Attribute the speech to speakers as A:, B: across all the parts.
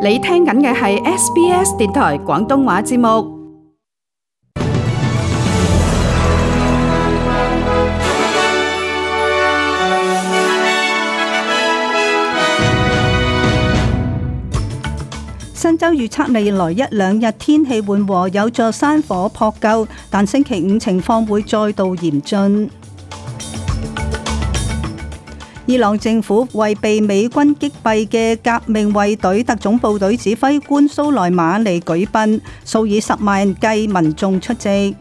A: 你聽緊嘅係 SBS 電台廣東話節目。新州預測未來一兩日天氣緩和，有助山火撲救，但星期五情況會再度嚴峻。伊朗政府為被美軍擊斃嘅革命衛隊特種部隊指揮官蘇萊馬尼舉殯，數以10萬計民眾出席。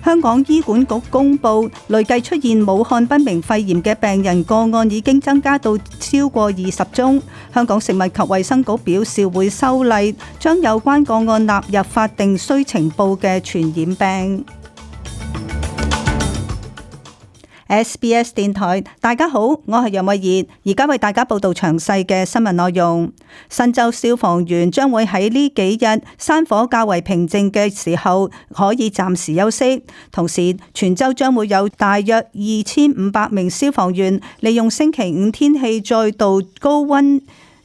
A: 香港醫管局公布，累計出現武漢不明肺炎嘅病人個案已經增加到超過20宗。香港食物及衛生局表示會修例，將有關個案納入法定須呈報嘅傳染病。SBS 電台，大家好，我係楊慧儀，而家為大家報道詳細嘅新聞內容。新州消防員將會喺呢幾日山火較為平靜嘅時候可以暫時休息，同時全州將會有大約2500名消防員利用星期五天氣再度高溫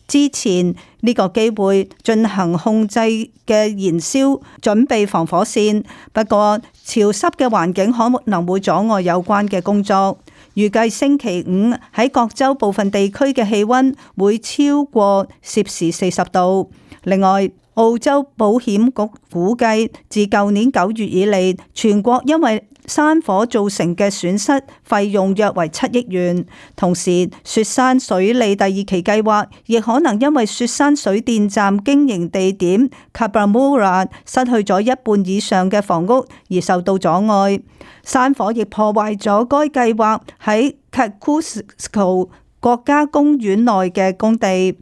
A: 之前呢個機會進行控制嘅燃燒，準備防火線。不過潮濕嘅環境可能會阻礙有關嘅工作。預計星期五喺各州部分地區嘅氣溫會超過攝氏40度。另外，澳洲保險局估計自舊年9月以嚟，全國因為山火造成嘅損失費用約為7億元。同時，雪山水利第2期計劃亦可能因為雪山水電站經營地點 Cabramurra 失去咗一半以上嘅房屋而受到阻礙。山火亦破壞咗該計劃喺 Kosciuszko 國家公園內嘅工地。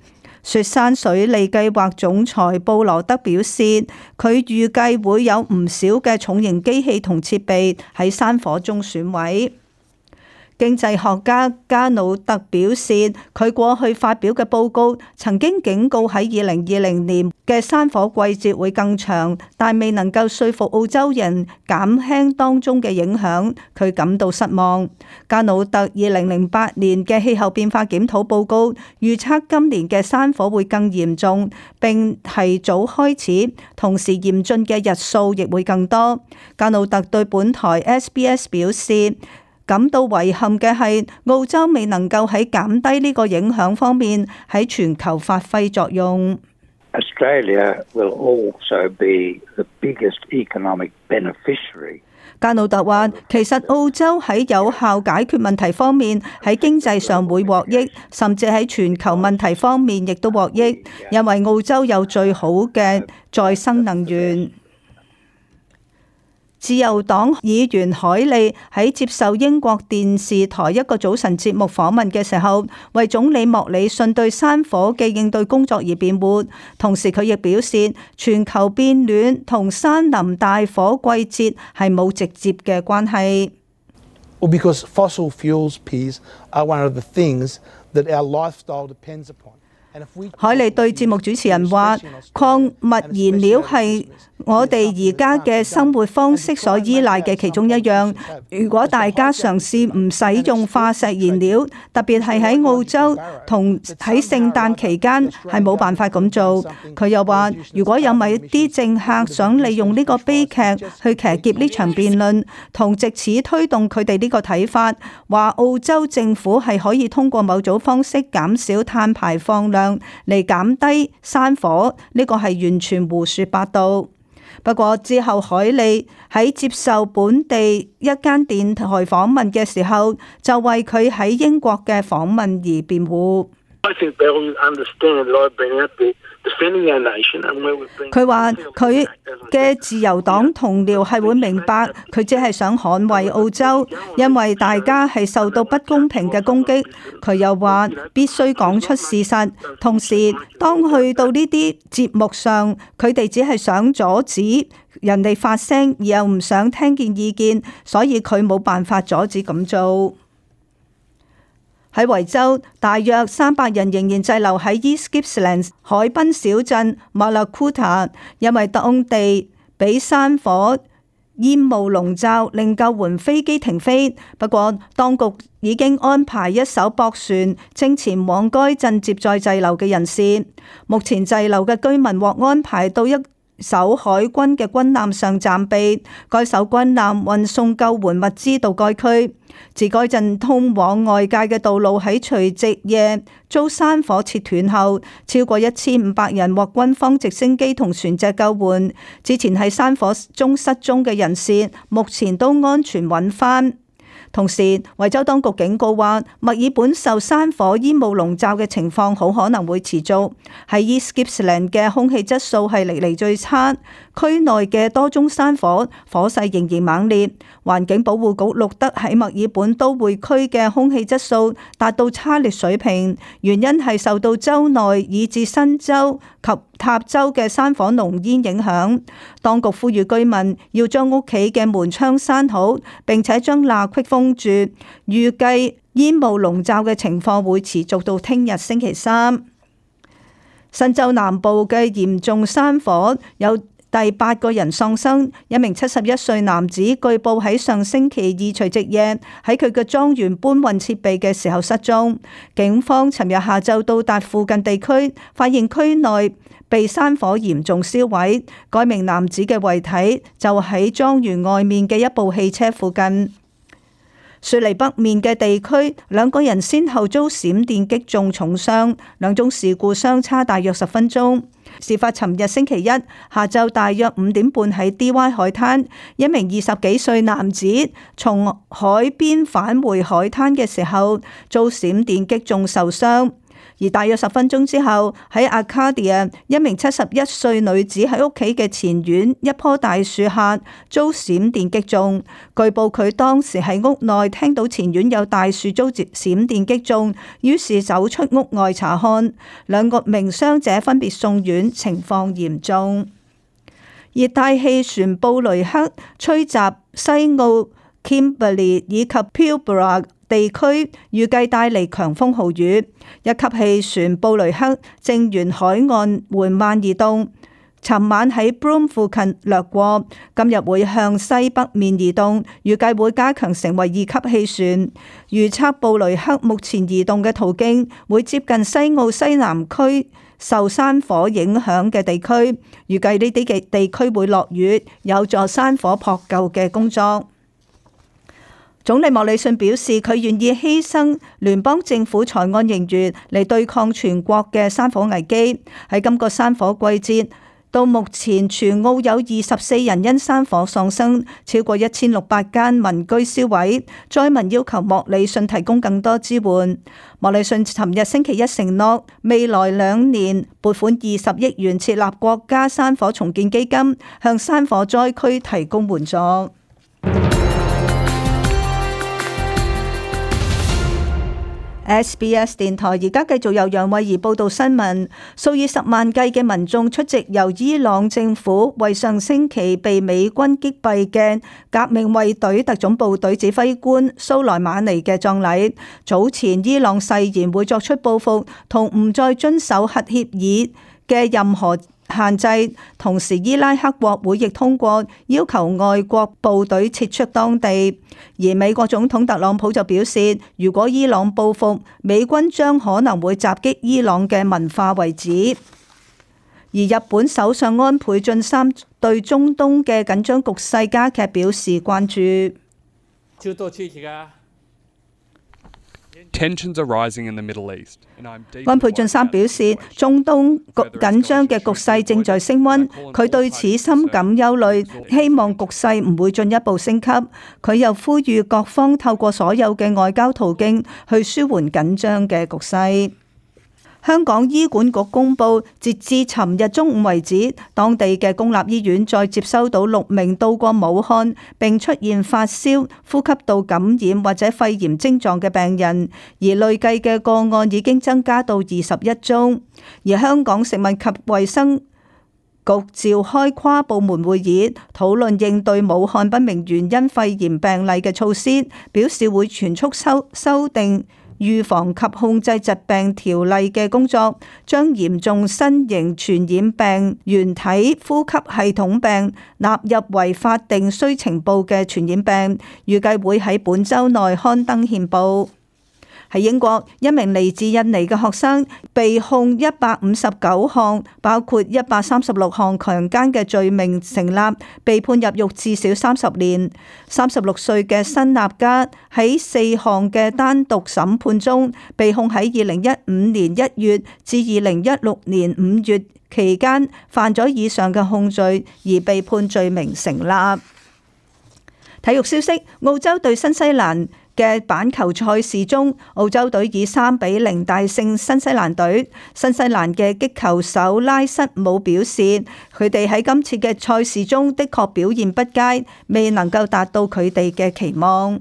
A: 雪山水利計劃總裁布羅德表示，佢預計會有唔少嘅重型機器同設備喺山火中損毀。經濟學家加努特表示，佢過去發表嘅報告曾經警告喺2020年嘅山火季節會更長，但未能夠說服澳洲人減輕當中嘅影響，佢感到失望。加努特2008年嘅氣候變化檢討報告預測今年嘅山火會更嚴重，並提早開始，同時嚴峻嘅日數亦會更多。加努特對本台 SBS 表示，感到遺憾嘅係，澳洲未能夠喺減低呢個影響方面喺全球發揮作用。
B: Australia will also be the biggest economic beneficiary.
A: 加努特話，其實澳洲喺有效解決問題方面喺經濟上會獲益，甚至喺全球問題方面亦都獲益，因為澳洲有最好嘅再生能源。自由黨議員海利喺接受英國電視台一個早晨節目訪問嘅時候，為總理莫里遜對山火嘅應對工作而辯護，同時佢亦表示全球變暖同山林大火季節係冇直接嘅關係。
C: Well, because fossil fuels, Piers, are one of the things that our lifestyle depends upon.
A: 海利對節目主持人話，礦物燃料係我哋而家嘅生活方式所依賴嘅其中一樣。如果大家嘗試唔使用化石燃料，特別係喺澳洲同喺聖誕期間，係冇辦法咁做。佢又話，如果有某啲政客想利用呢個悲劇去騎劫呢場辯論，同藉此推動佢哋呢個睇法，話澳洲政府係可以通過某種方式減少碳排放量嚟減低山火，呢個係完全胡說八道。不過之後，海利喺接受本地一間電台訪問嘅時候，就為佢喺英國嘅訪問而辯護。佢話佢嘅自由黨同僚係會明白，佢只係想捍衛澳洲，因為大家係受到不公平嘅攻擊。佢又話必須講出事實，同時當去到呢啲節目上，佢哋只係想阻止人哋發聲，而又唔想聽見意見，所以佢冇辦法阻止咁做。喺維州，大約300人仍然滯留喺 East Gippsland 海濱小鎮 Mallacoota， 因為當地俾山火煙霧籠罩令救援飛機停飛，不過當局已經安排一艘駁船正前往該鎮接載滯留嘅人士。目前滯留嘅居民獲安排到一艘海軍嘅軍艦上暫避，該艘軍艦運送救援物資到該區。自該鎮通往外界嘅道路喺除夕夜遭山火切斷後，超過1500人獲軍方直升機同船隻救援。之前喺山火中失蹤嘅人士，目前都安全揾返。同時，維州當局警告話，墨爾本受山火煙霧籠罩嘅情況好可能會持續。喺 East Gippsland 嘅空氣質素係歷嚟最差，區內嘅多宗山火火勢仍然猛烈。環境保護局錄得喺墨爾本都會區嘅空氣質素達到差劣水平，原因係受到州內以至新州及塔州嘅山火濃煙影響。當局呼籲居民要將屋企嘅門窗閂好，並且將罅隙封住。預計煙霧籠罩嘅情況會持續到聽日星期三。新州南部嘅嚴重山火有第8個人喪生，一名71歲男子據報喺上星期二除夕夜喺佢嘅莊園搬運設備嘅時候失蹤。警方尋日下晝到達附近地區，發現區內被山火嚴重燒毀。該名男子嘅遺體就喺莊園外面嘅一部汽車附近。雪梨北面嘅地區，2個人先後遭閃電擊中重傷，兩宗事故相差大約10分鐘。事發尋日星期一下晝大約5點半喺 DY 海灘，一名20幾歲男子從海邊返回海灘嘅時候遭閃電擊中受傷。而大約10分鐘之後，喺 Arcadia， 一名71歲女子喺屋企嘅前院一棵大樹下遭閃電擊中。據報佢當時喺屋內聽到前院有大樹遭閃電擊中，於是走出屋外查看。2名傷者分別送院，情況嚴重。熱帶氣旋布雷克吹襲西澳 Kimberley 以及 Pilbara地區，預計帶嚟強風豪雨。一級氣旋布雷克正沿海岸緩慢移動，尋晚喺 Broome 附近掠過，今日會向西北面移動，預計會加強成為2級氣旋。預測布雷克目前移動嘅途徑會接近西澳西南區受山火影響嘅地區，預計呢啲嘅地區會落雨，有助山火撲救嘅工作。總理莫里遜表示，佢願意犧牲聯邦政府財案盈餘嚟對抗全國嘅山火危機。喺今個山火季節，到目前全澳有24人因山火喪生，超過1600間民居燒毀。災民要求莫里遜提供更多支援。莫里遜尋日星期一承諾，未來2年撥款20億元設立國家山火重建基金，向山火災區提供援助。SBS 電台而家繼續由楊慧儀報道新聞。數以10萬計嘅民眾出席由伊朗政府為上星期被美軍擊斃嘅革命衛隊特種部隊指揮官蘇萊馬尼嘅葬禮。早前伊朗誓言會作出報復，同唔再遵守核協議嘅任何限制，同時伊拉克國會亦通過要求外國部隊撤出當地。而美國總統特朗普就表示，如果伊朗報復，美軍將可能會襲擊伊朗嘅文化遺址。而日本首相安倍晉三對中東嘅緊張局勢加劇表示關注。安倍晉三表示，中東緊張嘅局勢正在升溫，佢對此深感憂慮，希望局勢唔會進一步升級。佢又呼籲各方透過所有嘅外交途徑去舒緩緊張嘅局勢。香港醫管局公布，截至尋日中午為止，當地嘅公立醫院再接收到6名到過武漢並出現發燒、呼吸道感染或者肺炎症狀嘅病人，而累計嘅個案已經增加到21宗。而香港食物及衛生局召開跨部門會議，討論應對武漢不明原因肺炎病例嘅措施，表示會全速修訂預防及控制疾病條例嘅工作，將嚴重新型傳染病原體呼吸系統病納入為法定須呈報嘅傳染病，預計會喺本週內刊登憲報。喺英國，一名嚟自印尼嘅學生被控159項，包括136項強姦嘅罪名成立，被判入獄至少30年。36歲嘅辛納加喺4項嘅單獨審判中，被控喺2015年1月至2016年5月期間犯咗以上嘅控罪，而被判罪名成立。體育消息：澳洲對新西蘭嘅板球賽事中，澳洲隊以3-0大勝新西蘭隊。新西蘭嘅擊球手拉瑟姆表示，佢哋喺今次嘅賽事中的確表現不佳，未能夠達到佢哋嘅期望。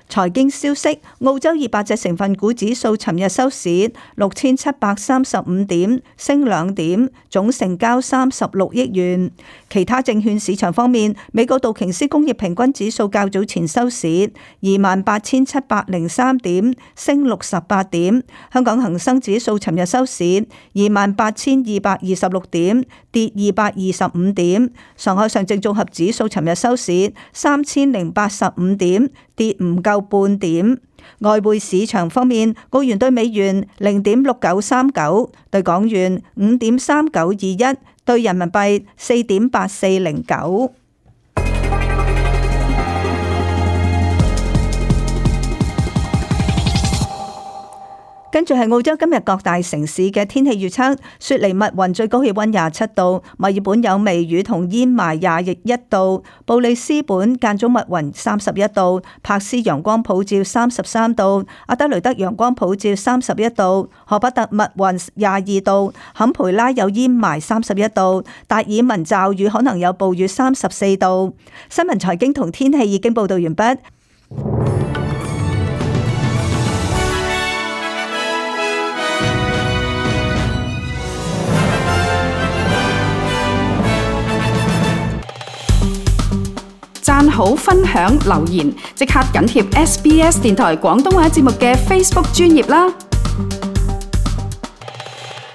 A: 財經消息：澳洲200隻成分股指數尋日收市6735點，升2點，總成交36億元。其他證券市場方面，美國道瓊斯工業平均指數較早前收市28,703點，升68點。香港恒生指數尋日收市28,226點，跌225點。上海上證綜合指數尋日收市3085點，跌唔夠半點。外匯市場方面，澳元對美元0.6939，對港元5.3921，對人民幣4.8409。跟住係澳洲今日各大城市嘅天氣預測：雪梨密雲最高氣溫27度，墨爾本有微雨同煙霾21度，布里斯本間中密雲31度，珀斯陽光普照33度，阿德雷德陽光普照31度，荷伯特密雲22度，坎培拉有煙霾31度，達爾文驟雨可能有暴雨34度。新聞財經同天氣已經報道完畢。
D: 讚好、分享、留言，即刻緊貼SBS 電台廣東話節目嘅 Facebook 專頁啦！